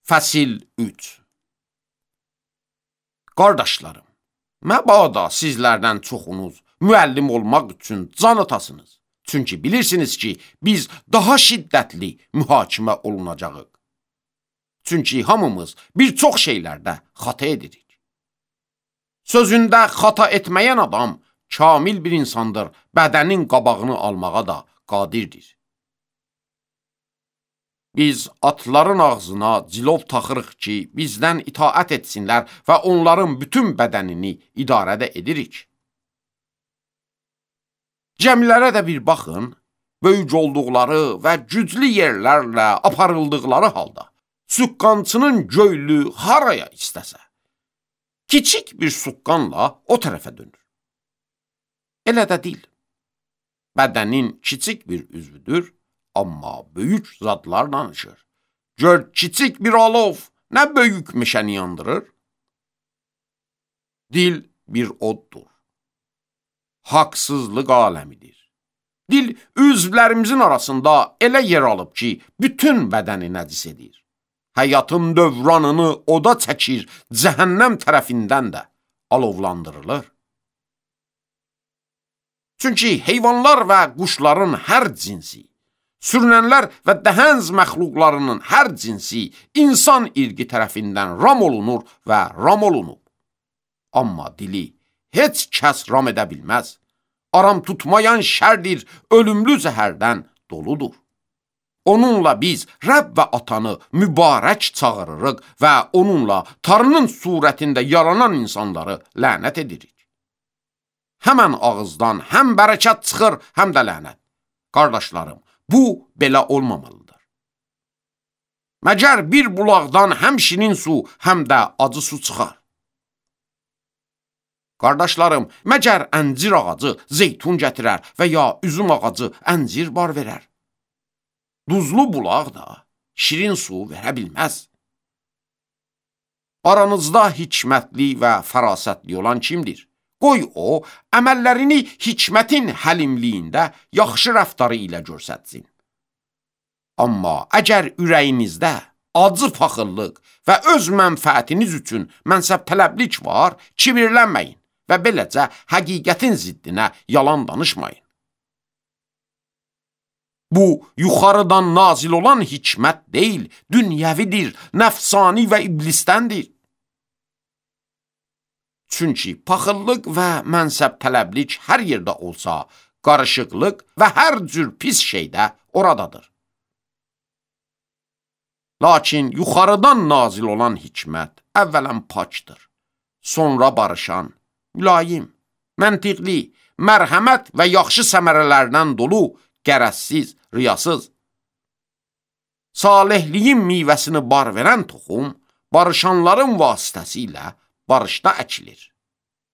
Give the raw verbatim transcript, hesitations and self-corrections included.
Fəsil üç. Qardaşlarım, məbada sizlərdən çoxunuz müəllim olmaq üçün can atasınız. Çünki bilirsiniz ki, biz daha şiddətli mühakimə olunacağıq. Çünki hamımız bir çox şeylərdə xata edirik. Sözündə xata etməyən adam kamil bir insandır, bədənin qabağını almağa da qadirdir. Biz atların ağzına cilov taxırıq ki, bizdən itaət etsinlər və onların bütün bədənini idarədə edirik. Cəmilərə də bir baxın, böyük olduqları və güclü yerlərlə aparıldıqları halda, suqqançının göylü haraya istəsə, kiçik bir suqqanla o tərəfə dönür. Elə də deyil. Bədənin kiçik bir üzvüdür, amma böyük zadlar danışır. Gör, kiçik bir alov nə böyük meşəni yandırır? Dil bir oddur. Haqsızlıq aləmidir. Dil üzvlərimizin arasında elə yer alıb ki, bütün bədəni nəcis edir. Həyatın dövranını oda çəkir, cəhənnəm tərəfindən də alovlandırılır. Çünki heyvanlar və quşların hər cinsi, sürünənlər və dəhənz məxluqlarının hər cinsi insan irqi tərəfindən ram olunur və ram olunub. Amma dili heç kəs ram edə bilməz. Aram tutmayan şərdir, ölümlü zəhərdən doludur. Onunla biz Rəbb və Atanı mübarək çağırırıq və onunla Tanrının surətində yaranan insanları lənət edirik. Həmən ağızdan həm bərəkət çıxır, həm də lənət. Qardaşlarım, bu belə olmamalıdır. Məgər bir bulaqdan həm şirin su, həm də acı su çıxar. Qardaşlarım, məgər əncir ağacı zeytun gətirər və ya üzüm ağacı əncir bar verər? Duzlu bulaq da şirin su verə bilməz. Aranızda hikmətli və fərasətli olan kimdir? Qoy o, əməllərini hikmətin həlimliyində yaxşı rəftarı ilə görsətsin. Amma əgər ürəyinizdə acı paxıllıq və öz mənfəətiniz üçün mənsəb tələblik var, kibirlənməyin və beləcə həqiqətin ziddinə yalan danışmayın. Bu, yuxarıdan nazil olan hikmət deyil, dünyəvidir, nəfsani və iblistəndir. Çünki paxıllıq və mənsəb tələblik hər yerdə olsa, qarışıqlıq və hər cür pis şeydə oradadır. Lakin yuxarıdan nazil olan hikmət əvvələn pakdır, sonra barışan, mülayim, məntiqli, mərhəmət və yaxşı səmərələrdən dolu, qərəzsiz, riyasız. Salihliyin meyvəsini bar verən toxum, barışanların vasitəsilə barışda əkilir.